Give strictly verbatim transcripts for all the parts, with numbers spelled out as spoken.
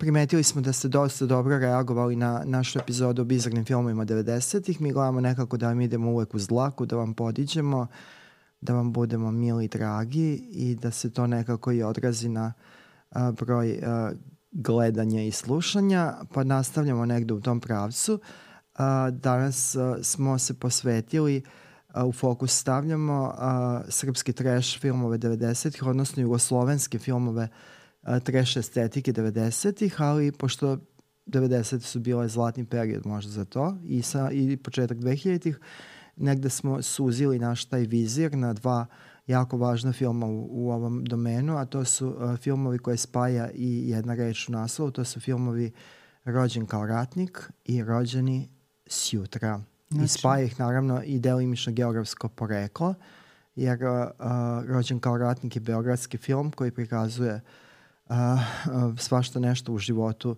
primetili smo da ste dosta dobro reagovali na našu epizodu o bizarnim filmovima devedesetih. Mi gledamo nekako da vam idemo uvek uz dlaku, da vam podiđemo, da vam budemo mili i dragi i da se to nekako i odrazi na a, broj a, gledanja i slušanja, pa nastavljamo negde u tom pravcu. A, danas a, smo se posvetili, a, u fokus stavljamo a, srpski trash filmove devedesetih, odnosno jugoslovenske filmove a, trash estetike devedesetih, ali pošto devedesete su bile zlatni period možda za to i, sa, i početak dvehiljaditih, negde smo suzili naš taj vizir na dva jako važna filma u, u ovom domenu, a to su uh, filmovi koje spaja i jedna reč u naslovu, to su filmovi Rođen kao ratnik i Rođeni sjutra. Znači. I spaja ih naravno i delimično geografsko poreklo, jer uh, uh, Rođen kao ratnik je beogradski film koji prikazuje uh, uh, svašta nešto u životu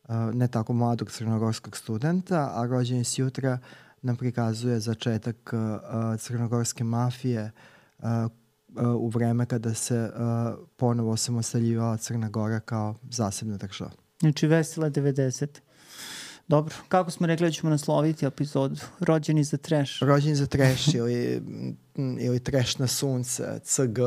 uh, ne tako mladog crnogorskog studenta, a Rođeni sjutra nam prikazuje začetak uh, crnogorske mafije uh, uh, u vreme kada se uh, ponovo osamostaljivala Crna Gora kao zasebna država. Znači vesela devedesete. Dobro, kako smo rekli da ćemo nasloviti epizodu? Rođeni za trash. Rođeni za trash ili, ili trash na sunce, C G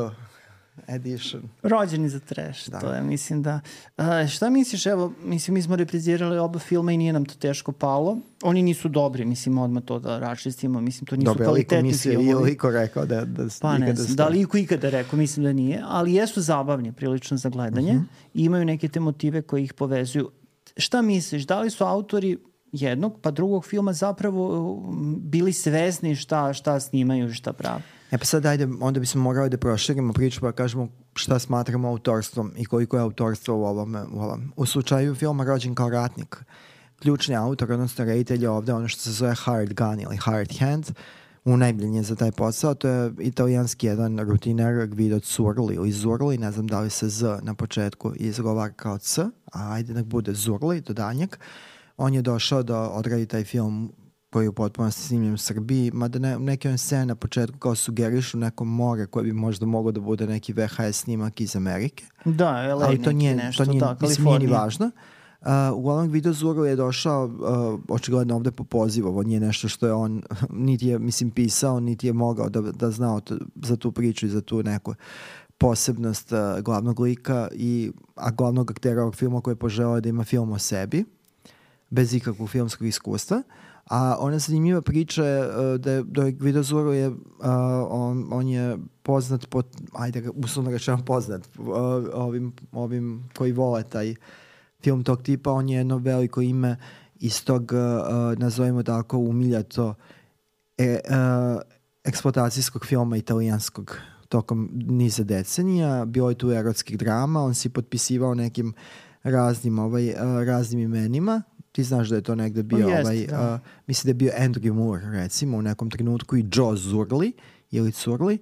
edition. Rođeni za trash, da. To je, mislim da... Uh, šta misliš, evo, mislim, mi smo reprizirali oba filma i nije nam to teško palo. Oni nisu dobri, mislim, odmah to da raščistimo, mislim, to nisu Dobre, kvalitetni filmovi. Dobre, liko rekao da, da pa ne znam, da li iko ikada rekao, mislim da nije, ali jesu zabavni prilično za gledanje uh-huh. i imaju neke te motive koji ih povezuju. Šta misliš, da li su autori jednog pa drugog filma zapravo bili svesni šta, šta snimaju i šta prave? E pa sad ajde, onda bismo morali da proširimo priču pa kažemo šta smatramo autorstvom i koliko je autorstvo u ovom. U, ovom. U slučaju filma Rođen kao ratnik, ključni autor, odnosno reditelj je ovde ono što se zove Hired Gun ili Hired Hand, unajmljen je za taj posao, to je italijanski jedan rutiner Guido Zurli ili Zurli, ne znam da li se Z na početku izgovara kao C, a ajde nek bude Zurli do danjeg. On je došao da odradi taj film koji je u potpunosti snimljen u Srbiji, mada ne, neke on scene na početku kao sugerišu neko more koje bi možda moglo da bude neki V H S snimak iz Amerike. Da, L A ali to nije, nešto, to nije, da, mislim, nije ni važno. Uh, uglavnom Guido Zurli je došao uh, očigledno ovde po pozivu, ovo nije nešto što je on niti je, mislim, pisao, niti je mogao da, da znao to, za tu priču i za tu neku posebnost uh, glavnog lika, i, a glavnog aktera ovog filma koji je poželao da ima film o sebi, bez ikakvog filmskog iskustva. A ona zanimljiva priča je uh, da je, da je Guido Zurli je, uh, on, on je poznat, po, ajde, uslovno rečeno poznat uh, ovim, ovim koji vole taj film tog tipa, on je jedno veliko ime iz tog, uh, nazovimo tako, umiljato e, uh, eksploatacijskog filma italijanskog tokom niza decenija. Bilo je tu erotskih drama, on si potpisivao nekim raznim, ovaj, uh, raznim imenima. Ti znaš da je to negde bio, jest, ovaj, da. uh, mislim da je bio Andrew Moore, recimo, u nekom trenutku, i Joe Zurli, ili Curli,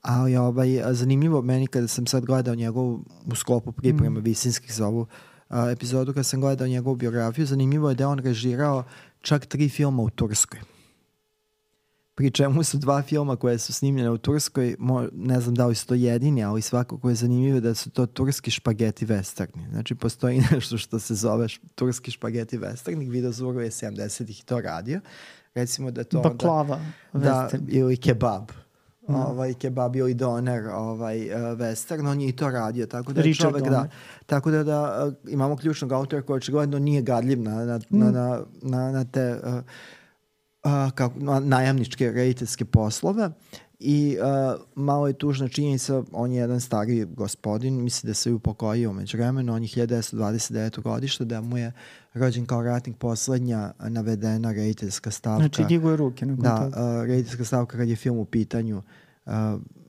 ali ovaj, zanimljivo meni kada sam sad gledao njegovu u sklopu pripreme mm. Visinskih za ovu uh, epizodu, kada sam gledao njegovu biografiju, zanimljivo je da on režirao čak tri filma u Turskoj. Pri čemu su dva filma koje su snimljene u Turskoj, mo, ne znam da li su to jedini, ali svakako je zanimljivo da su to turski špageti westerni. Znači, postoji nešto što se zove turski špageti westerni. Guido Zurli je sedamdesetih to radio. Recimo da to baklava onda, western. Da, ili kebab. Mm. Ovaj, kebab ili doner ovaj, uh, western, on je i to radio. Tako da, Richard čovek, da, tako da, da uh, imamo ključnog autora koji očigledno nije gadljiv na, na, mm. na, na, na, na te... Uh, Uh, kao najamničke rediteljske poslove i uh, malo je tužna činjenica, on je jedan stariji gospodin, misli da se je upokojio među vremenu, on je hiljadu devetsto dvadeset devetog godišta, da mu je Rođen kao ratnik poslednja navedena rediteljska stavka. Znači diguje ruke. Da, uh, rediteljska stavka kad je film u pitanju uh,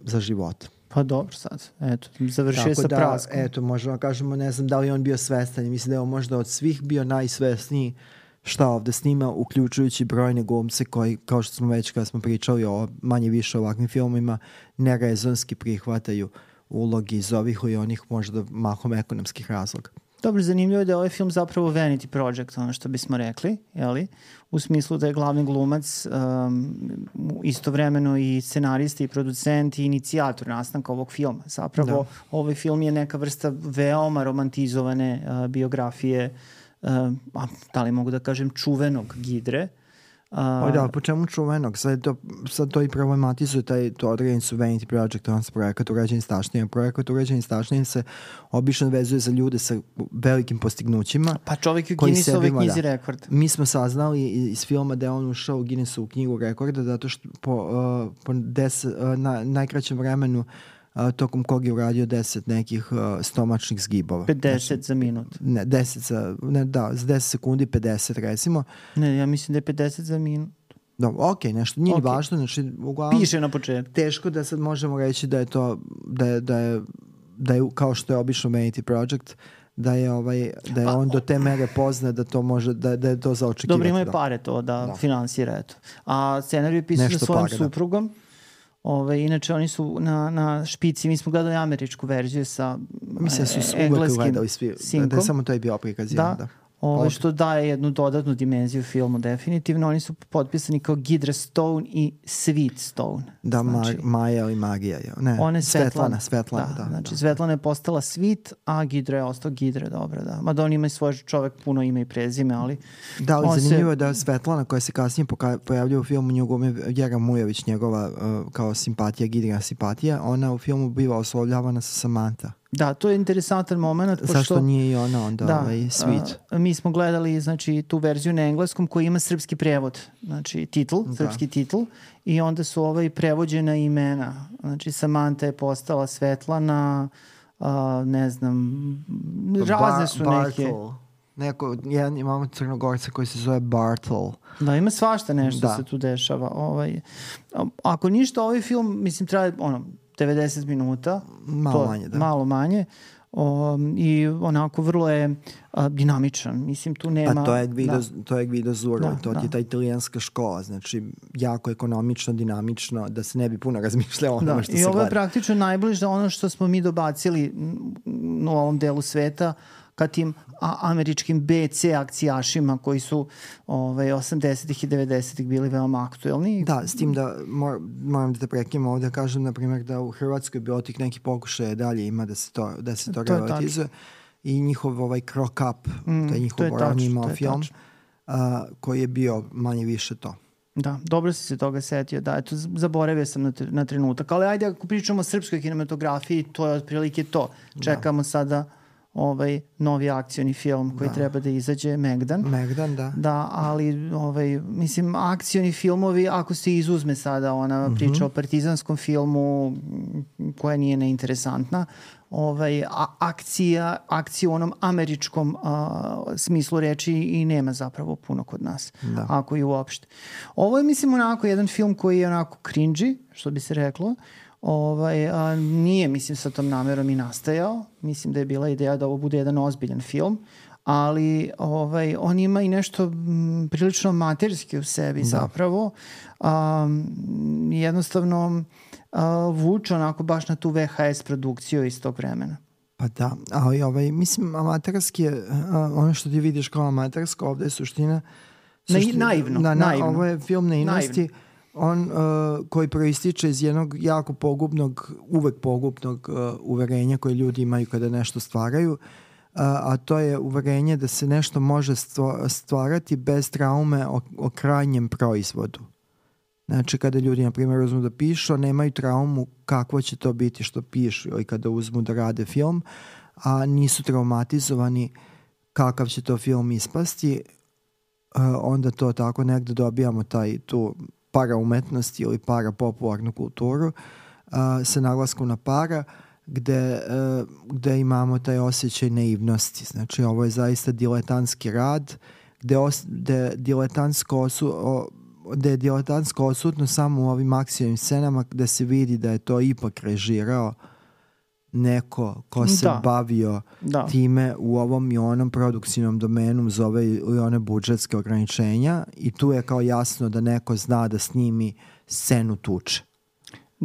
za život. Pa dobro sad, eto, završio sa da, praskom. Eto, možemo kažemo, ne znam da li on bio svestan, mislim da je on možda od svih bio najsvesniji šta ovde snima, uključujući brojne glumce koji, kao što smo već kada smo pričali o manje više ovakvim filmima, nerezonski prihvataju ulogi iz ovih i onih možda mahom ekonomskih razloga. Dobro, zanimljivo je da je ovaj film zapravo vanity project, ono što bismo rekli, jeli? U smislu da je glavni glumac um, istovremeno i scenarista i producent i inicijator nastanka ovog filma. Zapravo, da. Ovaj film je neka vrsta veoma romantizovane uh, biografije, uh, a, da li mogu da kažem, čuvenog Gidre. Uh, o da, po čemu čuvenog? Sad to, sad to i problematizuje taj, to određen su vanity project, on se projekat urađen stašnijim. Projekat urađen stašnijim se obično vezuje za ljude sa velikim postignućima. Pa čovjek u Guinnessove knjizi da. Rekorda. Mi smo saznali iz filma da je on ušao u Guinnessovu knjigu rekorda zato što po, uh, po des, uh, na najkraćem vremenu Uh, tokom kog je uradio deset nekih uh, stomačnih zgibova. pedeset znači, za minut. Ne, deset za, ne, da, za deset sekundi pedeset recimo. Ne, ja mislim da je pedeset za minut. Dobro, ok, nešto nije okay. važno, znači uglavnom piše na početku. Teško da sad možemo reći da je to, da je, da je, da je kao što je obično vanity project, da je ovaj da je pa, on do te mere poznat da to može da da je to za očekivati. Dobro, ima je pare to da, da. finansira eto. A scenarij je pisan sa svojom para, suprugom. Da. Ove, inače oni su na, na špici, mi smo gledali američku verziju sa mislim su e, engleskim sinkom. Da je samo to je bio prikazivan. Da, da. Ove, što daje jednu dodatnu dimenziju filmu definitivno. Oni su potpisani kao Gidra Stone i Sweet Stone. Da, znači, Maja ili Magija. Ne, ona je Svetlana. Svetlana, da, da, znači da. Svetlana je postala Sweet, a Gidra je ostao Gidra, dobro, da. Mada on ima i svoj čovek puno ime i prezime, ali... Da, ali zanimljivo je se... da Svetlana koja se kasnije pojavlja u filmu njegove Vjera Mujović, njegova uh, kao simpatija, Gidrina simpatija, ona u filmu biva oslovljavana sa Samantha. Da, to je interesantan moment. Pošto, zašto nije i ona onda da, ovaj Sweet? A, mi smo gledali znači, tu verziju na engleskom koja ima srpski prevod, znači titl, da. srpski titl i onda su ovaj prevođena imena. Znači Samantha je postala Svetlana, a, ne znam, razne su Bar- neke... Bartol. Neko, jedan imamo Crnogorca koji se zove Bartol. Da, ima svašta nešto da. se tu dešava. Ovaj, ako ništa, ovaj film, mislim, treba ono, devedeset minuta. Malo to, manje, da. Malo manje. O, i onako vrlo je a, dinamičan. Mislim, tu nema... A to je Guido, da. to je Guido Zuro, da, to da. je ta italijanska škola, znači jako ekonomično, dinamično, da se ne bi puno razmišljalo ono da. što I se gleda. I ovo je praktično najbliže ono što smo mi dobacili u ovom delu sveta, ka tim a, američkim be ce akcijašima koji su ovaj, osamdesetih i devedesetih bili veoma aktuelni. Da, s tim da mor, moram da te prekinem ovdje, kažem na primjer da u Hrvatskoj bilo tih nekih pokušaja dalje ima da se to, da se to, to relativizuje i njihov ovaj Crock Up, mm, to je njihov ranije imao film uh, koji je bio manje više to. Da, dobro si se toga setio, da, eto, zaboravio sam na, na trenutak, ali ajde ako pričamo o srpskoj kinematografiji, to je otprilike to. Čekamo da. sada ovaj novi akcioni film koji da. treba da izađe, Megdan. Megdan, da. Da, ali ovaj, mislim, akcioni filmovi, ako se izuzme sada ona mm-hmm. priča o partizanskom filmu koja nije neinteresantna, ovaj, a, akcija, akcija u onom američkom a, smislu reči i nema zapravo puno kod nas, da. ako i uopšte. Ovo je, mislim, onako jedan film koji je onako cringy, što bi se reklo. Ovaj, a, nije, mislim, sa tom namerom i nastajao. Mislim da je bila ideja da ovo bude jedan ozbiljan film, ali ovaj, on ima i nešto m, prilično amaterski u sebi da. zapravo. A, jednostavno a, vuče onako baš na tu ve ha es produkciju iz tog vremena. Pa da, ali ovaj, mislim, amaterski je, a, ono što ti vidiš kao amatersko, ovdje je suština... suština naivno, na, na, naivno. Ovo je film naivnosti. On uh, koji proističe iz jednog jako pogubnog, uvek pogubnog uh, uverenja koje ljudi imaju kada nešto stvaraju, uh, a to je uverenje da se nešto može stvarati bez traume o, o krajnjem proizvodu. Znači kada ljudi, na primjer, uzmu da pišu, nemaju traumu kakvo će to biti što pišu, ili kada uzmu da rade film, a nisu traumatizovani kakav će to film ispasti, uh, onda to tako negde dobijamo taj tu para umetnosti ili para popularnu kulturu uh, sa naglaskom na para gde, uh, gde imamo taj osjećaj naivnosti. Znači ovo je zaista diletantski rad gde, os, gde, diletantsko osu, o, gde je diletantsko odsutno samo u ovim akcijnim scenama gde se vidi da je to ipak režirao neko ko se da. bavio da. time u ovom i onom produkcijnom domenu za ove ili one budžetske ograničenja i tu je kao jasno da neko zna da snimi scenu tuče.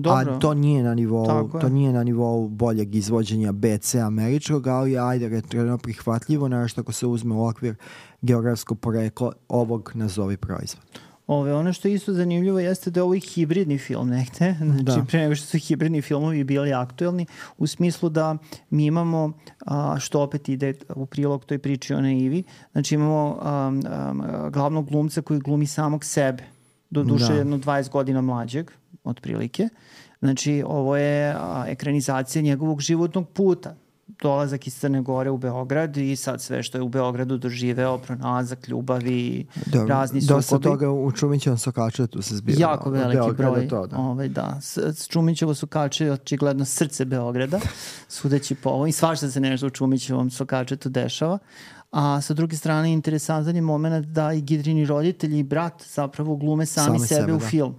Dobro. A to nije na nivou, to nije na nivou boljeg izvođenja B C američkog, ali ajde retro prihvatljivo, naravno ako se uzme u okvir geografskog porekla ovog nazovi proizvod. Ove, ono što je isto zanimljivo jeste da je ovo i hibridni film negde, znači da. Pre nego što su hibridni filmovi bili aktuelni, u smislu da mi imamo, a, što opet ide u prilog toj priči o naivi, znači imamo a, a, glavnog glumca koji glumi samog sebe, do duše da. jedno dvadeset godina mlađeg, otprilike. Znači, ovo je a, ekranizacija njegovog životnog puta. Dolazak iz Crne Gore u Beograd i sad sve što je u Beogradu doživeo, pronalazak, ljubavi, da, razni sukobi. Dosta toga u Čumićevom Sokačetu se zbilo. Jako veliki broj. To, da. Ovaj, da. S Čumićevo Sokače je očigledno srce Beograda, sudeći po ovo. I svašta se nešto u Čumićevom Sokačetu dešava. A sa druge strane, interesantan je moment da i Gidrini roditelji i brat zapravo glume sami, sami sebe, sebe u da. filmu.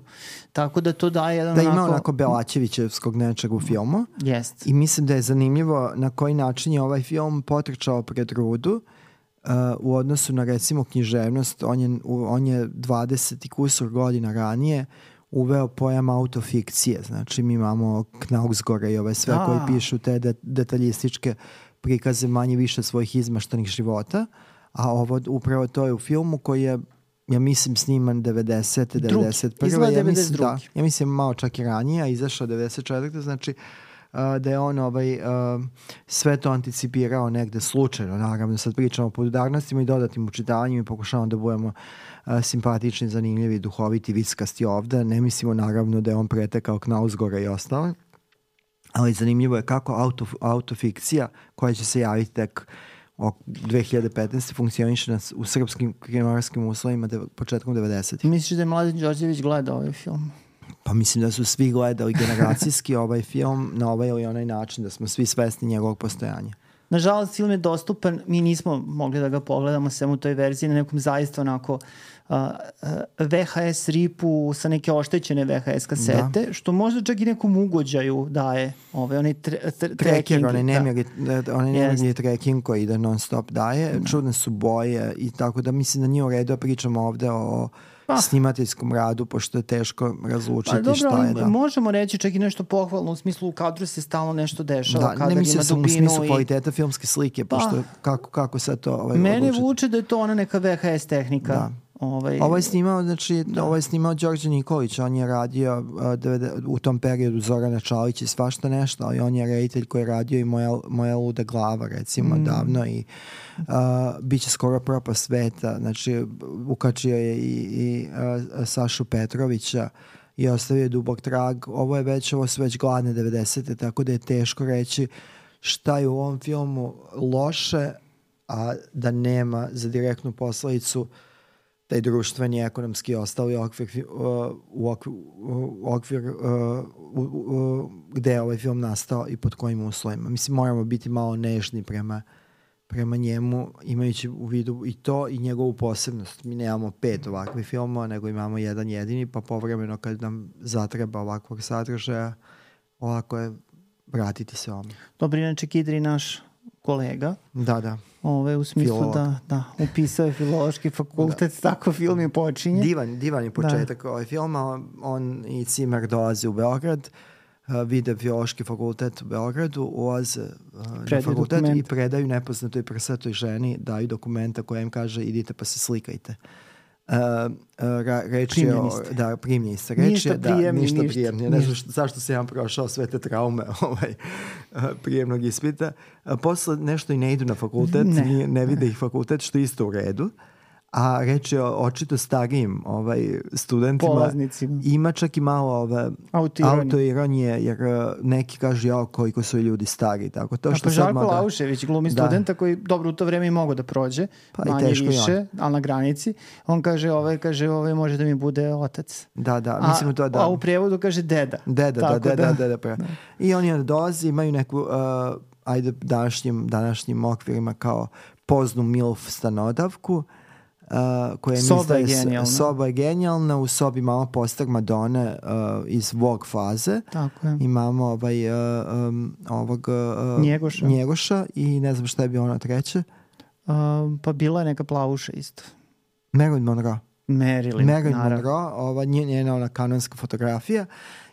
Tako da to daje jedan da onako... Da ima onako Belačevićevskog nečeg u filmu. Jest. I mislim da je zanimljivo na koji način je ovaj film potrčao pred rudu uh, u odnosu na recimo književnost. On je, on je dvadeset i kusur godina ranije uveo pojam autofikcije. Znači mi imamo Knaugsgora i ove sve da. koji pišu te de, detaljističke prikaze manje više svojih izmaštanih života, a ovo upravo to je u filmu koji je, ja mislim, sniman devedesete, devedeset prve. Izgleda ja devedeset druge. Mislim, da, ja mislim malo čak i ranije, a izašao devedeset četvrte. Znači uh, da je on ovaj, uh, sve to anticipirao negde slučajno. Naravno, sad pričamo o podudarnostima i dodatnim učitavanjima i pokušavamo da budemo uh, simpatični, zanimljivi, duhoviti, vickasti ovde. Ne mislimo naravno da je on pretekao Knausgora i ostalo. Ali zanimljivo je kako auto, autofikcija koja će se javiti tek o dve hiljade petnaeste funkcioniše u srpskim kriminarskim uslovima de, početkom devedesetih. Misliš da je Mladen Đorđević gledao ovaj film? Pa mislim da su svi gledali generacijski ovaj film na ovaj ili onaj način, da smo svi svesni njegovog postojanja. Nažalost, film je dostupan, mi nismo mogli da ga pogledamo sem u toj verziji na nekom zaista onako uh, uh, V H S ripu sa neke oštećene V H S kasete, da. Što možda čak i nekom ugođaju daje ovaj, onaj tre, tre, tracking. Onaj nemjerni yes. tracking koji ide non stop daje, da. Čudne su boje i tako da mislim da nije u redu, pričamo ovde o pa. snimateljskom radu, pošto je teško razlučiti pa, dobro, šta je. Da. Možemo reći čak i nešto pohvalno, u smislu u kadru se stalno nešto dešava. Da, ne mislim sam u smislu i... kvaliteta filmske slike, pa. pošto kako, kako sad to ovaj, mene odlučiti. Vuče da je to ona neka V H S tehnika. Da. Ovaj, ovo je snimao, znači, da. ovo je snimao Đorđe Nikolić, on je radio uh, u tom periodu Zorana Čalić i svašta nešto, ali on je reditelj koji je radio i Moja, moja luda glava, recimo, mm. davno i uh, bit će skoro propast sveta, znači, ukačio je i, i uh, Sašu Petrovića i ostavio je dubok trag. Ovo je već, ovo su već gladne devedesete, tako da je teško reći šta je u ovom filmu loše, a da nema za direktnu posledicu taj društveni, ekonomski ostali okvir, uh, u okvir, u okvir uh, u, u, gde je ovaj film nastao i pod kojim uslovima. Mislim, moramo biti malo nežni prema, prema njemu, imajući u vidu i to i njegovu posebnost. Mi nemamo pet ovakvih filmova, nego imamo jedan jedini, pa povremeno kad nam zatreba ovakvog sadržaja, ovako je vratiti se ovome. Dobro, inače Kidri naš kolega. Da, da. Ove, u smislu Filolog. da, da, upisao je filološki fakultet, da. Tako film je počinje. Divan, divan je početak da. ovaj filma. On i Cimer dolazi u Beograd, uh, vide filološki fakultet u Beogradu, ulaze uh, na fakultet dokument. I predaju nepoznatoj prsatoj ženi, daju dokumenta koja im kaže idite pa se slikajte. Uh, uh, reč je o, da, primljeni ste. Reč ništa je da, prijemni, ništa ništa. prijemni. Ne znam zašto se ja prošao sve te traume ovaj, uh, prijemnog ispita. Uh, posle nešto i ne idu na fakultet, ne, ne, ne vide ih fakultet, što je isto u redu. A reč je o očito starijim ovaj, studentima. Polaznicima. Ima čak i malo ove, autoironije, jer neki kažu ja koliko su ljudi stari. Tako. To što pa Žarko moga... Laušević, glumi da. studenta koji dobro u to vreme i mogo da prođe, pa manje više, ali na granici. On kaže, ovaj, kaže, ovaj može da mi bude otac. Da, da, mislim to da. A u prevodu kaže deda. Deda, da, deda, da, deda. Da, da. I oni onda dolazi, imaju neku, uh, ajde današnjim, današnjim okvirima kao poznu milf stanodavku. Uh, koja soba je genijalna. Soba je genijalna, u sobi imamo poster Madone uh, iz Vogue faze. Tako je. Imamo ovaj, uh, um, ovog uh, Njegoša. Njegoša i ne znam šta je bilo ono treće. Uh, pa bila je neka plavuša isto. Marilyn Monroe. Marilyn, Marilyn Monroe, ova njena ona kanonska fotografija.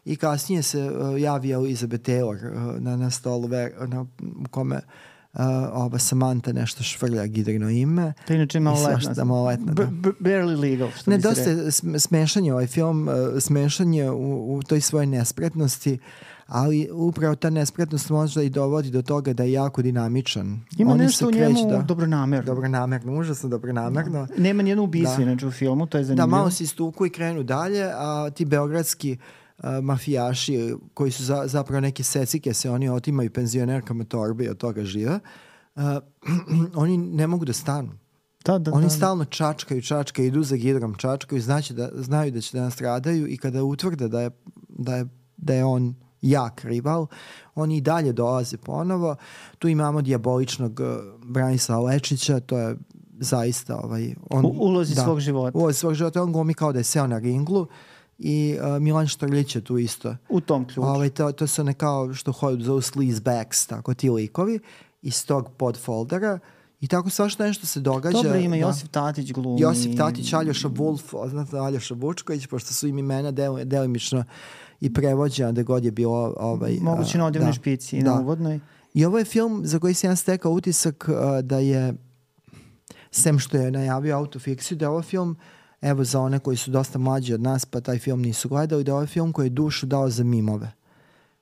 i kasnije se uh, javi Elizabeth Taylor uh, na, na stolu ver, na, u kome uh, ova Samantha nešto švrlja Gidrino ime. To je inače maloletna. Da, maloletna da. B- barely legal, što ne, bi se dosta rekao. smešan je ovaj film, uh, smešan je u, u toj svojoj nespretnosti, ali upravo ta nespretnost možda i dovodi do toga da je jako dinamičan. Ima Oni nešto u njemu da, dobronamerno. Dobronamerno, užasno dobronamerno. Da. Nema nijedno ubistvo da. inače u filmu, to je zanimljivo. Da, malo se istuku i krenu dalje, a ti beogradski uh, mafijaši koji su za, zapravo neke secike se oni otimaju penzionerkama torbe i od toga žive, uh, oni ne mogu da stanu. Da, da, oni da. stalno čačkaju, čačkaju, idu za Gidrom, čačkaju, znači da, znaju da će da nastradaju i kada utvrde da je, da je, da je on jak rival, oni i dalje dolaze ponovo. Tu imamo dijaboličnog uh, Branislava Lečića, to je zaista ovaj, on, u ulozi da, svog života. U ulozi svog života, on glumi kao da je seo na ringlu i uh, Milan Štrlić je tu isto. U tom ključu. Ovaj, to, to su one kao što hodu zovu sleazebacks, tako ti likovi iz tog podfoldera. I tako svašta nešto se događa. Dobro, ima da. Josip Tatić glumi. Josip Tatić, Aljoša Wolf, znate Aljoša Vučković, pošto su im imena del, delimično i prevođena da god je bilo ovaj, moguće na odjevnoj da, špici i da. na uvodnoj. I ovo je film za koji sam ja stekao utisak uh, da je, sem što je najavio autofikciju, da je ovo film, evo za one koji su dosta mlađi od nas pa taj film nisu gledali, da je ovo film koji je dušu dao za mimove.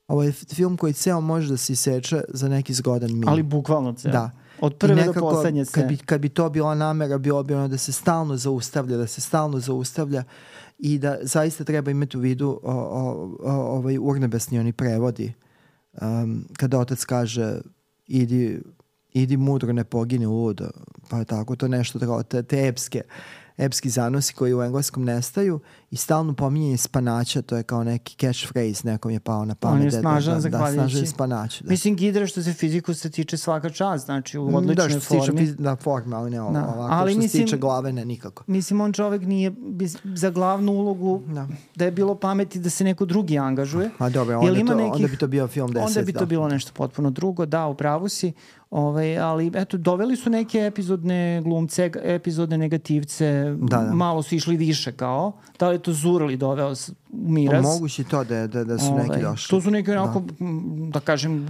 Ovo je film koji ceo može da se iseče za neki zgodan mim. Ali bukvalno ceo. Da. Od prve nekako, do poslednje se. Kad bi, kad bi to bila namera, bilo bi ono da se stalno zaustavlja, da se stalno zaustavlja i da zaista treba imati u vidu o, o, o, ovaj urnebesni oni prevodi. Um, kada otac kaže idi, idi mudro, ne pogini ludo. Pa tako to nešto, tako, te, te epske, epski zanosi koji u engleskom nestaju i stalno pominjanje spanaća, to je kao neki catchphrase, nekom je pao na pamet. On je snažan, da, zahvaljujući. Da, snažan spanaću. Da. Mislim, Gidra što se fiziku se tiče svaka čast, znači u odličnoj da, što se formi. tiče da, forme, ali ne da. ovako. Ali što mislim, se tiče glave, ne nikako. Mislim, on čovek nije za glavnu ulogu da, da je bilo pameti da se neko drugi angažuje. A dobro, onda, ima to, nekih, onda bi to bio film deset. Onda bi to da. bilo nešto potpuno drugo, da, u pravu si. Ovaj, ali eto, doveli su neke epizodne glumce, epizodne negativce, da, da. malo su išli više kao. Da li je to Zurli doveo u miraz? Moguće to da, da, da su ovaj, neki došli. To su neki onako, da, da kažem,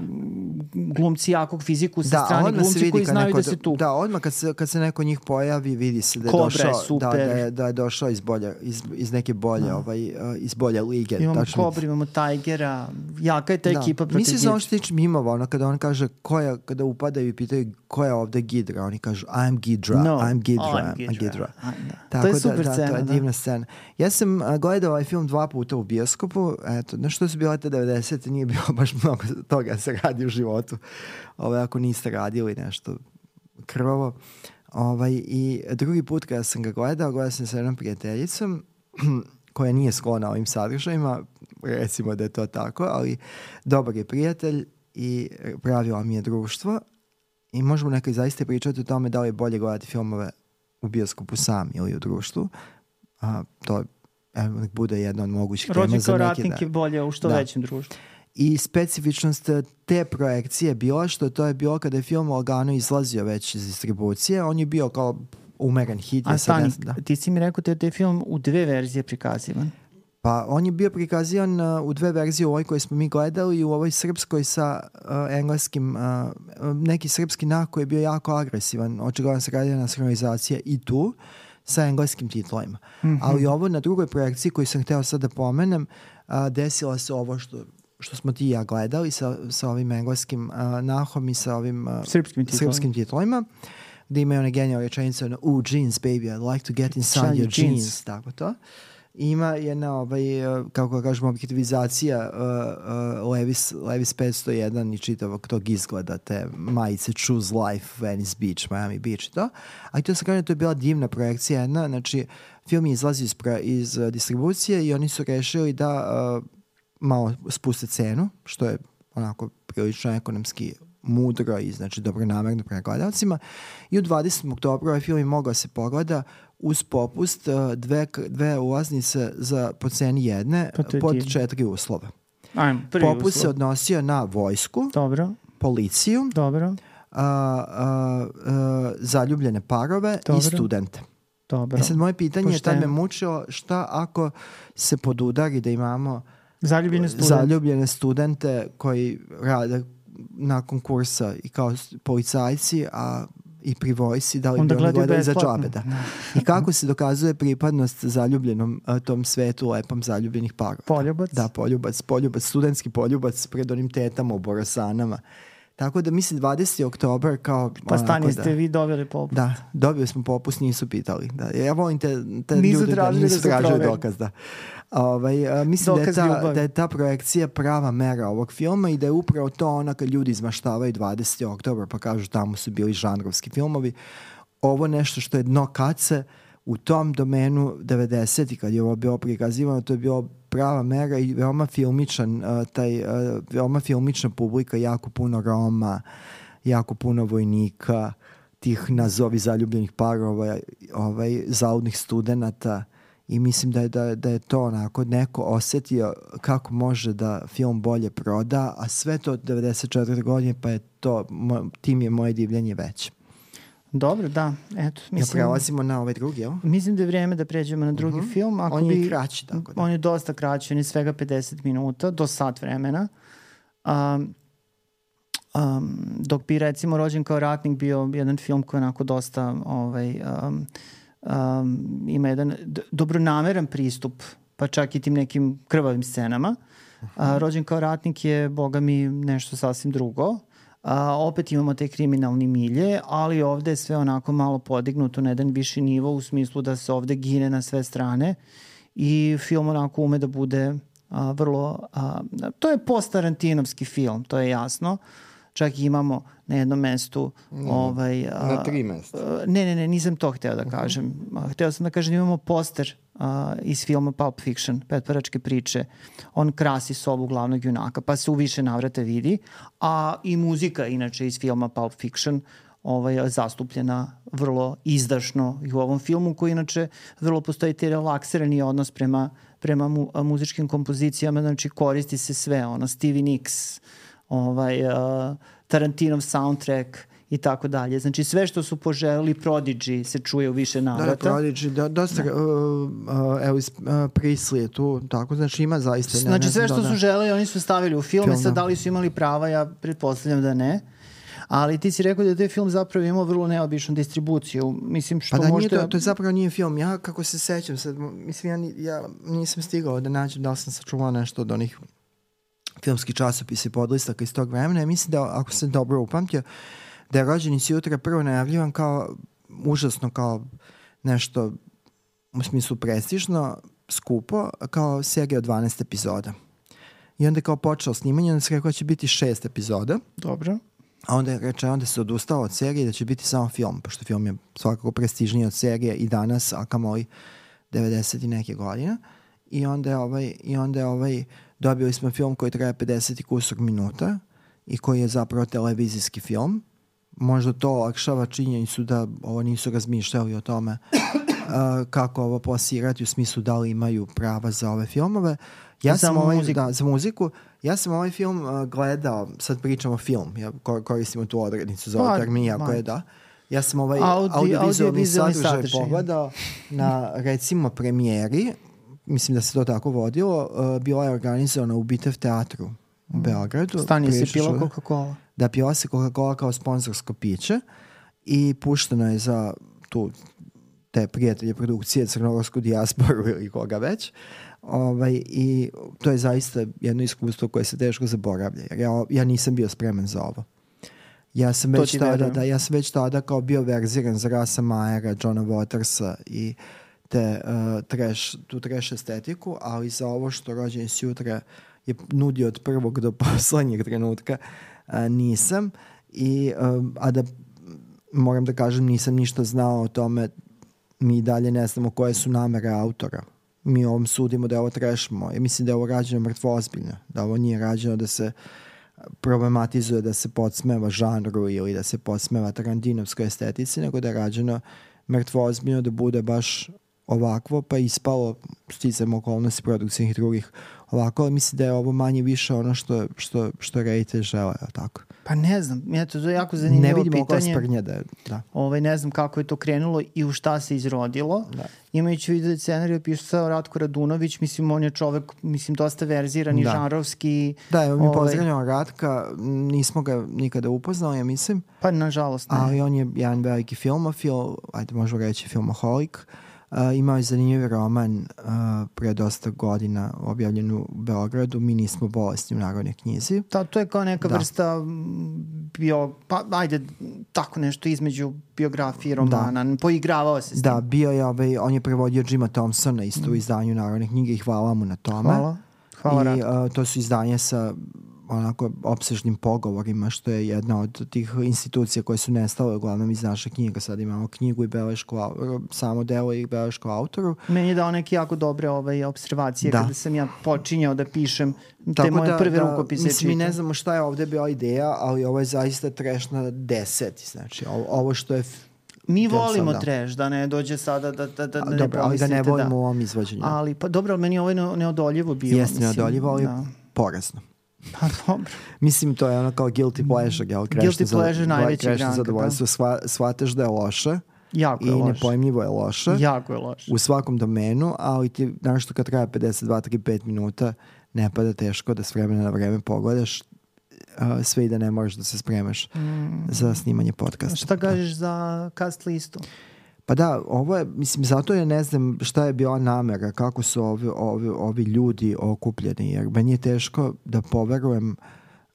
glumci jakog fiziku sa da, strane, glumci koji znaju neko, da se tu. Da, odmah kad se, kad se neko njih pojavi, vidi se da je Kobra došao, je super. Da, da, je, da je došao iz, bolje, iz, iz neke bolje, da. ovaj, iz bolje lige. Imamo tačno. Kobra, imamo Tigera, jaka je ta da. ekipa protiv Mislim se ono što tiče mimova, ono kada on kaže, koja, kada upadaju i pitaju ko je ovde Gidra, oni kažu I'm Gidra, no, I'm Gidra, I'm Gidra. I'm Gidra. Da. Tako to je super da, scena. Da, to je divna scena. Ja sam uh, gledao ovaj film dva puta u bioskopu, eto, na što su bile te devedesete, nije bilo baš mnogo toga da se radi u životu. Ovaj, ako niste radili nešto krvavo. Ovaj, I drugi put kada sam ga gledao, gledao sam sa jednom prijateljicom koja nije sklona ovim sadržajima, recimo da je to tako, ali dobar je prijatelj i pravila mi je društvo i možemo nekaj zaista pričati o tome da li je bolje gledati filmove u bioskopu sam ili u društvu. A, to evo, nek bude jedna od mogućih tema za neke. Rođen kao ratnik je bolje u što da. većem društvu. I specifičnost te projekcije je bila što to je bilo kada je film lagano izlazio već iz distribucije. On je bio kao umeren hit. A stani, da. ti si mi rekao da je taj film u dve verzije prikazivan. Pa on je bio prikazivan uh, u dve verzije, u ovoj koje smo mi gledali i u ovoj srpskoj sa uh, engleskim, uh, neki srpski nah koji je bio jako agresivan. Očigledno se radi nacionalizacija i tu sa engleskim titlovima. Mm-hmm. Ali ovo na drugoj projekciji koju sam hteo sad da pomenem, uh, desilo se ovo što što smo ti i ja gledali sa, sa ovim engleskim uh, nahom i sa ovim uh, srpskim, titlovima. srpskim titlovima, gde imaju one genijalne rečenice ono, ooh, jeans, baby, I'd like to get inside your jeans. jeans. Tako to. Ima jedna, ovaj, kako kažemo, objektivizacija uh, uh, Levis, Levis petsto jedan i čitavog tog izgleda, te majice Choose Life, Venice Beach, Miami Beach i to. A i to se kaže, to je bila divna projekcija jedna, znači film je izlazi iz, iz uh, distribucije i oni su rešili da uh, malo spuste cenu, što je onako prilično ekonomski mudro i znači dobronamerno prema gledalcima. I u dvadesetog oktobra ovaj film je mogao se pogleda uz popust dve, dve ulaznice za po ceni jedne pod četiri uslova. Ajmo, popust uslov. se odnosio na vojsku, dobro, policiju, dobro, a, a, a, zaljubljene parove dobro. I studente. Dobro. E sad moje pitanje je tad me mučilo šta ako se podudari da imamo Zaljubljene studente. zaljubljene studente koji rade nakon kursa i kao policajci, a i pri vojsi, da li Onda bi oni gledali za besplatno. džabe, da. I kako se dokazuje pripadnost zaljubljenom a, tom svetu lepom zaljubljenih parova. Poljubac. Da, poljubac, poljubac, studentski poljubac pred onim tetama u Borosanama. Tako da mislim dvadeseti oktobar kao... Pa stani, onako ste da, vi dobili popust. Da, dobili smo popust, nisu pitali. Da. Ja volim te, te Nisu ljude da tražili nisu da se tražili proveri. dokaz. Da. Ovaj, a, mislim Dokaz da je, ta, ljubavi. da je ta projekcija prava mera ovog filma i da je upravo to ona kad ljudi izmaštavaju dvadeseti oktobar pa kažu tamo su bili žanrovski filmovi. Ovo nešto što je dno kace u tom domenu devedesetih kad je ovo bilo prikazivano, to je bilo prava mera i veoma filmičan uh, taj, uh, veoma filmična publika, jako puno Roma, jako puno vojnika, tih nazovi zaljubljenih parova, ovaj, zaudnih studenata i mislim da je, da, da je to onako neko osetio kako može da film bolje proda, a sve to od devedeset četvrte godine pa je to, mo, tim je moje divljenje veće. Dobro, da. Eto, mislim, ja prelazimo na ovaj drugi, jel? mislim da je vrijeme da pređemo na drugi Mhm. film. Ako On je bi, kraći, tako da. On je dosta kraći, on je svega pedeset minuta, do sat vremena. Um, um, dok bi recimo Rođen kao ratnik bio jedan film koji je onako dosta ovaj, um, um, ima jedan d- dobronameran pristup, pa čak i tim nekim krvavim scenama. A, Rođen kao ratnik je, boga mi, nešto sasvim drugo. A, opet imamo te kriminalni milje, ali ovde je sve onako malo podignuto na jedan viši nivo u smislu da se ovde gine na sve strane i film onako ume da bude a, vrlo... A, to je post-Tarantinovski film, to je jasno. Čak i imamo na jednom mestu Mm. ovaj, a, Na tri mesta. a, ne, ne, ne, nisam to hteo da kažem. A, hteo sam da kažem da imamo poster a, iz filma Pulp Fiction, Petvaračke priče. On krasi sobu glavnog junaka, pa se u više navrata vidi. A i muzika, inače, iz filma Pulp Fiction ovaj, zastupljena vrlo izdašno i u ovom filmu, koji inače vrlo postoji te relaksirani odnos prema, prema mu, a, muzičkim kompozicijama, znači koristi se sve, ono, Stevie Nicks, ovaj, uh, Tarantinov soundtrack i tako dalje. Znači sve što su poželili, Prodigy se čuje u više Da, da, navrata. Prodigy, da, dosta, da. Uh, uh, Elvis uh, Presley je tu, tako, znači ima zaista... Ne, Znači ne sve znam što da, su želeli, oni su stavili u filme, Film, sad da. da li su imali prava, ja pretpostavljam da ne. Ali ti si rekao da je taj film zapravo imao vrlo neobičnu distribuciju. Mislim što Pa da, možda... nije to, to je zapravo nije film. Ja, kako se sećam, sad, mislim, ja, ni- ja nisam stigao da nađem da li sam sačuvao nešto od onih filmskih časopisa i podlistaka iz tog vremena. Ja mislim da, ako sam dobro upamtio, da je Rođeni si jutra prvo najavljivan kao užasno kao nešto u smislu prestižno, skupo, kao serija od dvanaest epizoda. I onda je kao počeo snimanje, onda se rekao da će biti šest epizoda, Dobro. a onda je reče, onda se odustao od serije da će biti samo film, pošto film je svakako prestižniji od serije i danas, a kamoli devedeset i neke godine. I onda je ovaj, i onda je ovaj dobili smo film koji traje pedeset i kusur minuta i koji je zapravo televizijski film. Možda to olakšava činjenicu da ovo nisu razmišljali o tome uh, kako ovo plasirati u smislu da li imaju prava za ove filmove. Ja Za sam ovaj, muziku. da, za muziku. Ja sam ovaj film uh, gledao, sad pričamo film, ja kor- koristimo tu odrednicu za Pa, ovaj termin, jako ma. je da. Ja sam ovaj Audi- audiovizualni audiovizualni sadržaj sadržaj. pogledao na recimo premijeri, mislim da se to tako vodilo, uh, bila je organizovana u Bitev teatru u Beogradu. Stani, si Prilično pila što- Coca-Cola? da pila se Coca-Cola kao sponzorsko piće i pušteno je za tu te prijatelje produkcije, crnogorsku dijasporu ili koga već. Ovaj, i to je zaista jedno iskustvo koje se teško zaboravlja. Jer ja, ja nisam bio spreman za ovo. Ja sam To već ti tada, verujem. da, ja sam već tada kao bio verziran za Rasa Majera, Johna Watersa i te, uh, trash, tu trash estetiku, ali za ovo što Rođeni si jutra je nudio od prvog do poslednjeg trenutka uh, nisam. I, um, a da moram da kažem, nisam ništa znao o tome, mi dalje ne znamo koje su namere autora. Mi ovom sudimo da je ovo trash moj. Mislim da je ovo rađeno mrtvo ozbiljno. Da ovo nije rađeno da se problematizuje, da se podsmeva žanru ili da se podsmeva tarantinovskoj estetici, nego da je rađeno mrtvo ozbiljno, da bude baš ovakvo, pa je ispalo sticajem okolnosti produkcijnih i drugih ovako, ali mislim da je ovo manje više ono što, što, što reditelj žele, tako? Pa ne znam, eto, to je jako zanimljivo pitanje. Ne vidim i to sprnje da je, da. Ovaj, ne znam kako je to krenulo i u šta se izrodilo. Da. Imajući vidio da scenariju pisao Ratko Radunović, mislim, on je čovek, mislim, dosta verziran i da. žanrovski. Da, evo mi ovaj... pozdravljamo Ratka, nismo ga nikada upoznali, ja mislim. Pa, nažalost, ne. Ali on je jedan veliki filmofil, ajde možemo reći filmoholik. Uh, imao je zanimljiv roman uh, pre dosta godina objavljen u Beogradu, Mi nismo bolesni u Narodnoj knjizi. Da, to je kao neka da. vrsta bio, pa ajde, tako nešto između biografije i romana, da. poigravao se s tim. Da, bio je, ovaj, on je prevodio Jima Thompsona isto mm. u izdanju Narodne knjige i hvala mu na tome. Hvala, hvala I uh, to su izdanje sa onako opsežnim pogovorima, što je jedna od tih institucija koje su nestale uglavnom iz naše knjiga. Sad imamo knjigu i belešku, samo delo i belešku autoru. Meni je dao neke jako dobre ovaj, observacije da. kada sam ja počinjao da pišem te tako moje da, prve da, rukopise. Mislim, mi ne znamo šta je ovde bila ideja, ali ovo je zaista trash na deseti. Znači, ovo, ovo što je... Mi volimo da. trash, da ne dođe sada da, da, da, da dobro, ne ali da ne volimo da. u ovom izvođenju. Ali, pa dobro, ali meni ovo je neodoljivo bilo. Jeste neodoljivo, ali da. porazno. Pa dobro. Mislim, to je ono kao guilty pleasure, jel? Guilty pleasure najveći granka, zadovoljstvo. Sva, shvataš da je loše. Jako je i loše. nepojmljivo je loše. Jako je loše. U svakom domenu, ali ti, znaš što kad traje pedeset dva do trideset pet minuta, ne pada teško da s vremena na vreme pogledaš uh, sve i da ne moraš da se spremaš mm. za snimanje podcasta. Šta kažeš da. za cast listu? Pa da, ovo je, mislim, zato je ne znam šta je bila namera, kako su ovi, ovi, ovi ljudi okupljeni, jer meni je teško da poverujem,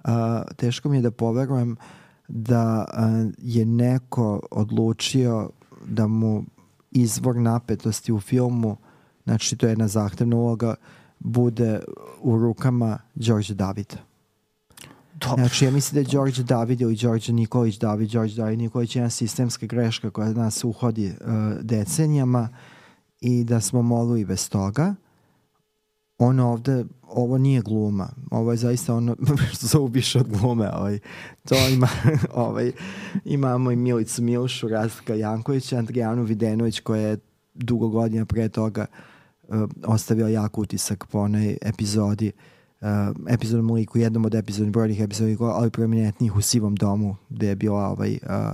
uh, teško mi je da poverujem da uh, je neko odlučio da mu izvor napetosti u filmu, znači to je jedna zahtevna uloga, bude u rukama Đorđe Davida. Dobro. Znači, ja mislim da je Đorđe David ili Đorđe Nikolić David, Đorđe David Nikolić je jedna sistemska greška koja nas uhodi uh, decenijama i da smo mogli i bez toga. Ono ovde, ovo nije gluma. Ovo je zaista ono što se ubiše od glume. Ovaj. To ima, ovaj, imamo i Milicu Milšu, Rastka Jankovića, Andrijanu Videnović koja je dugo godina pre toga uh, ostavila jak utisak po onoj epizodi Uh, epizodnom liku, jednom od epizodnih brojnih epizodnih, ali prominentnijih u Sivom domu, gde je bila ovaj, uh,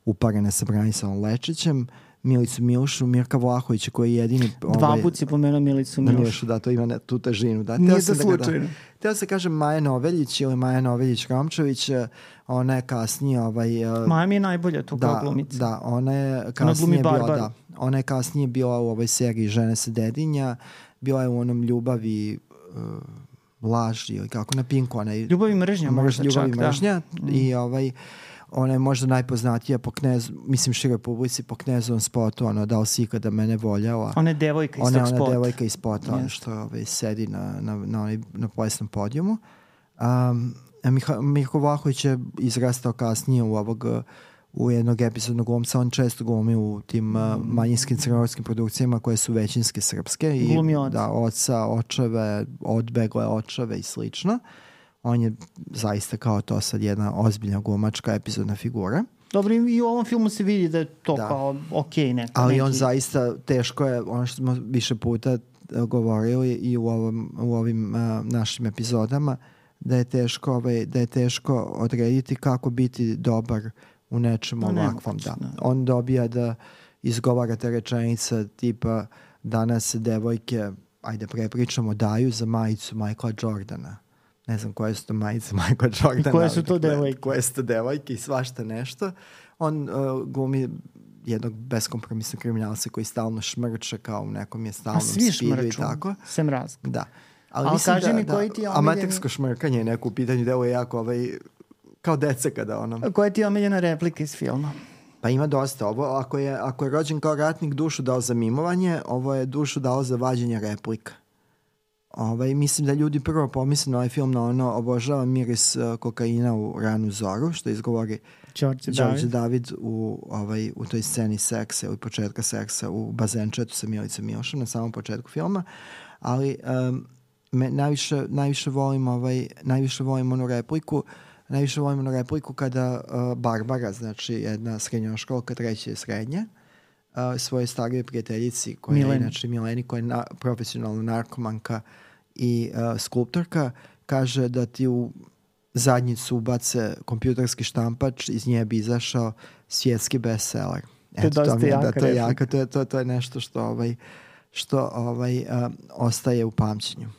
uparena sa Branislavom Lečićem, Milicu Milšu, Mirka Vlahovića koji je jedini... Ovaj, Dva put si pomenuo Milicu Milšu. Milšu. Da, to ima ne, tu težinu. Da. Nije da slučajno. Teo se kaže Maja Noveljić ili Maja Noveljić-Romčević, ona je kasnije... Ovaj, uh, Maja mi je najbolja tu da, kao glumica. Da, ona je kasnije ona bila... Da, ona je kasnije bila u ovoj seriji Žene sa Dedinja, bila je u onom Ljubavi... Uh, laž ili kako na Pinku ona je Ljubav i mržnja možda Ljubav čak, i mržnja da. I ovaj ona je možda najpoznatija po Knezu, mislim široj publici po Knezovom spotu, ono da li si ikada mene voljela. Ona je devojka iz ona, tog spota. Ona je devojka iz spota, yes. Ono što ovaj, sedi na, na, na, na, na plesnom podijumu. Um, Mirko Vlahović je izrastao kasnije u ovog u jednog epizodnog glumca, on često glumi u tim mm. uh, manjinskim crnogorskim produkcijama koje su većinske srpske i glumi oca. Da, oca, očeve, odbegle očeve i slično. On je zaista kao to sad jedna ozbiljna glumačka epizodna figura. Dobro, i u ovom filmu se vidi da je to da. kao okej okay, neko. Ali neki... on zaista teško je, ono što smo više puta govorili i u, ovom, u ovim uh, našim epizodama, da je teško, ovaj, da je teško odrediti kako biti dobar u nečemu no, ovakvom. Da. On dobija da izgovara te rečenice tipa danas se devojke, ajde prepričamo, daju za majicu Michaela Jordana. Ne znam koje su to majice Michaela Jordana. I koje su to devojke? Koje su to devojke i svašta nešto. On uh, glumi jednog beskompromisnog kriminalca koji stalno šmrče kao u nekom je stalnom spidu i tako. Sem razga. Da. Ali, Ali kaži da, mi da, koji ti je omiljeni... Amatersko šmrkanje je neko u pitanju, delo je jako ovaj, kao deca kada ono... Koja ti je omiljena replika iz filma? Pa ima dosta. Ovo, ako, je, ako je rođen kao ratnik dušu dao za mimovanje, ovo je dušu dao za vađenje replika. Ovaj, mislim da ljudi prvo pomisle na ovaj film na ono obožava miris uh, kokaina u ranu zoru, što izgovori Đorđe David, David u, ovaj, u toj sceni seksa ili početka seksa u bazenčetu sa Milicom Milšom na samom početku filma. Ali um, me najviše, najviše volim ovaj, najviše volim onu repliku najviše volim onu repliku kada uh, Barbara, znači jedna srednjoškolka, treće srednje, uh, svojoj starijoj prijateljici koja Mileni. je inače Mileni, koja je na, profesionalna narkomanka i uh, skulptorka, kaže da ti u zadnjicu ubace kompjuterski štampač, iz nje bi izašao svjetski bestseller. To je dosta to, jaka da, to je replika. jaka, to je, to, to je nešto što, ovaj, što ovaj, uh, ostaje u pamćenju.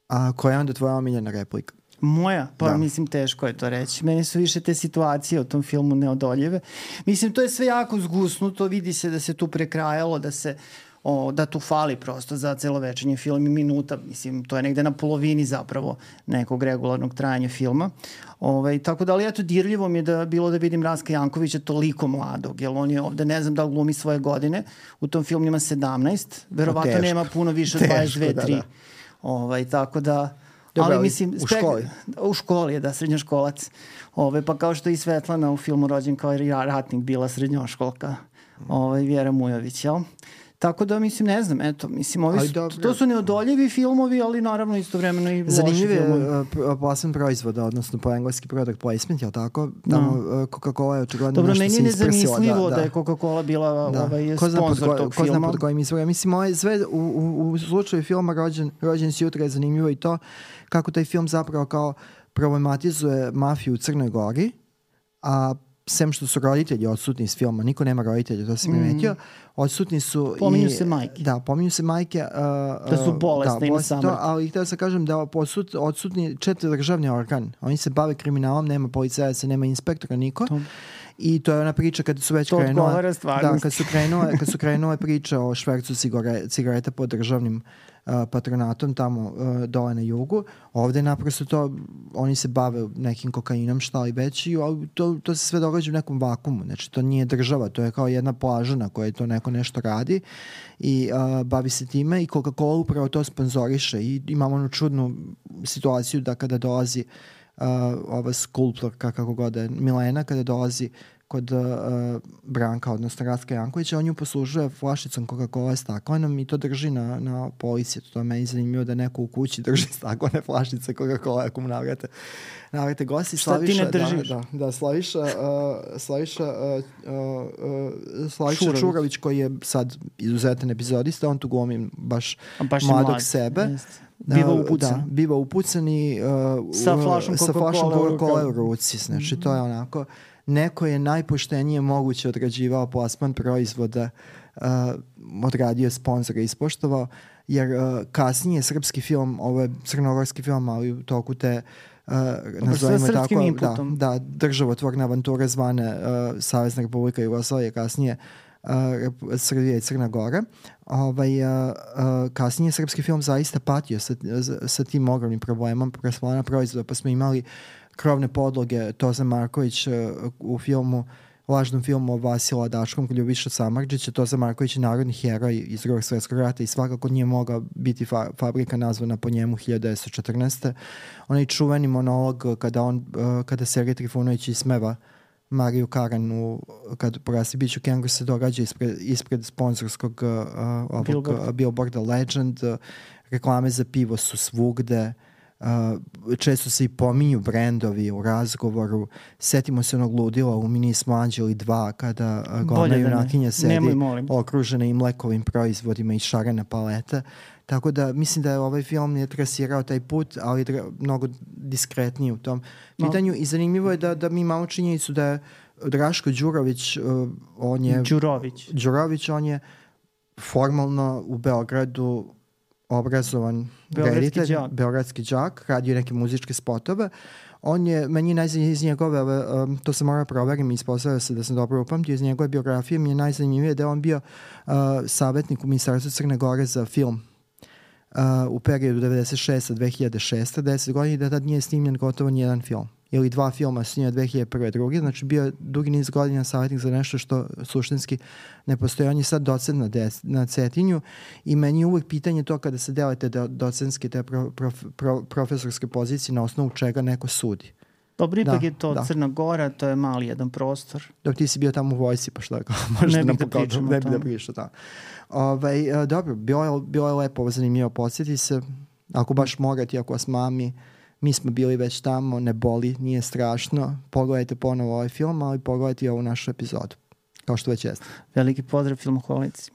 A koja je onda tvoja omiljena replika? Moja? Pa Da. mislim teško je to reći. Meni su više te situacije u tom filmu neodoljive. Mislim to je sve jako zgusnuto, vidi se da se tu prekrajalo, da se o, da tu fali prosto za celovečernji film i minuta. Mislim to je negde na polovini zapravo nekog regularnog trajanja filma. Ovaj, tako da ali eto dirljivo mi je da bilo da vidim Raska Jankovića toliko mladog, jer on je ovde ne znam da li glumi svoje godine. U tom filmu ima sedamnaest, verovatno teško. nema puno više od dvadeset dve, da, tri. da. Ovaj, tako da Dobro, ali ali mislim u spek... školi. U školi je, da, srednjoškolac. Ove, pa kao što i Svetlana u filmu Rođen kao i ratnik bila srednjoškolka. Ovaj, Vjera Mujović, jel? Tako da, mislim, ne znam, eto, mislim, ovi su, to su neodoljivi filmovi, ali naravno istovremeno i loši Zanimljiv je filmovi. uh, plasman proizvoda, odnosno po engleski product placement, jel tako? Tamo uh, Coca-Cola je očigledno Dobro, nešto meni se je isprsila. nezamislivo da, da, da je Coca-Cola bila da. ovaj, Ko zna pod sponsor ko, tog ko filma. zna pod kojim izvorom. Mislim, moje, sve u, u, u slučaju filma Rođen, Rođen si jutra je zanimljivo i to kako taj film zapravo kao problematizuje mafiju u Crnoj Gori, a sem što su roditelji odsutni iz filma, niko nema roditelja, to sam primetio, odsutni su Pominju i... se majke. Da, pominju se majke. Uh, Da su bolesne da, i na bolesne to, samrti. ali htio sam kažem da posut, odsutni četiri državni organ. Oni se bave kriminalom, nema policajaca, nema inspektora, niko. To. I to je ona priča kada su već To krenule... odgovara stvarnosti. Da, kad su krenule, kad su krenule priče o švercu cigare, cigareta pod državnim uh, patronatom tamo uh, dole na jugu. Ovde naprosto to, oni se bave nekim kokainom, šta li već, i to, to se sve događa u nekom vakumu. Znači, to nije država, to je kao jedna plaža na kojoj to neko nešto radi i uh, bavi se time i Coca-Cola upravo to sponzoriše i imamo onu čudnu situaciju da kada dolazi Uh, ova skulptorka, kako god je, Milena, kada dolazi kod uh, Branka, odnosno Ratka Jankovića, on ju poslužuje flašicom Coca-Cola staklenom i to drži na, na polici. To je meni zanimljivo da neko u kući drži staklene flašice Coca-Cola ako mu navrate, navrate gosti. Šta ti ne držiš? Da, da, da Slaviša, uh, Slaviša, uh, uh, uh, Slaviša Čurović. Čurović, koji je sad izuzetan epizodista, on tu glumi baš, baš mladog mlad, sebe. Jeste. Biva upucan. Da, biva upucan i uh, Sa flašom sa flašom Coca-Cola Coca-Cola u ruci. Znači, mm-hmm. to je onako... Neko je najpoštenije moguće odrađivao plasman proizvoda, uh, odradio sponsora i ispoštovao, jer uh, kasnije srpski film, ovo je crnogorski film, ali u toku te uh, nazovimo tako, da, da, državotvorne avanture zvane uh, Savezna Republika Jugoslavije, kasnije uh, Srbija i Crna Gora. Ovaj, uh, uh, kasnije srpski film zaista patio sa, sa tim ogromnim problemom plasmana proizvoda, pa smo imali krovne podloge Toza Marković uh, u filmu, lažnom filmu o Vasila Dačkom, Ljubiša Samardžića. Toza Marković je narodni heroj iz Drugog svjetskog rata i svakako nije mogla biti fa- fabrika nazvana po njemu hiljadu devetsto četrnaeste. Onaj čuveni monolog kada, on, uh, kada Sergej Trifunović ismeva Mariju Karanu kad porasti biću Kengu se događa ispred, ispred sponzorskog uh, ovog, Billboard. Billboarda Legend. Uh, reklame za pivo su svugde. Uh, često se i pominju brendovi u razgovoru. Setimo se onog ludila u Mi nismo anđeli dva kada uh, glavna junakinja sedi Nemoj, okružena i mlekovim proizvodima i šarena paleta. Tako da mislim da je ovaj film je trasirao taj put, ali je mnogo diskretniji u tom pitanju. No. I zanimljivo je da, da mi imamo činjenicu da je Draško Đurović, uh, on je... Đurović. Đurović, on je formalno u Beogradu obrazovan reditelj, đak. beogradski đak, radio neke muzičke spotove. On je, meni je najzanimljivije iz njegove, um, to se mora proverim i ispostavio se da sam dobro upamtio, iz njegove biografije mi je najzanimljivije da je on bio uh, savjetnik u Ministarstvu Crne Gore za film uh, u periodu devedeset šeste do dve hiljade šeste, deset godina, i da tad nije snimljen gotovo nijedan film. Ili dva filma snimljena dve hiljade prve. druge. Znači bio je dugi niz godina savjetnik za nešto što suštinski ne postoji. On je sad docent na, des, na Cetinju i meni je uvijek pitanje to kada se delate do, docentske te pro, prof, pro, profesorske pozicije na osnovu čega neko sudi. Dobro, ipak da, je to da. Crna Gora, to je mali jedan prostor. Dok ti si bio tamo u vojsi, pa šta, možda ne nam bih da pričam ne bi da pričam, da. Ovaj, dobro, bilo je, bilo je lepo, zanimljivo, podsjeti se, ako baš morate, ako vas mami, mi smo bili već tamo, ne boli, nije strašno. Pogledajte ponovo ovaj film, ali pogledajte i ovu našu epizodu. kao što već jeste. Veliki pozdrav filmoholici.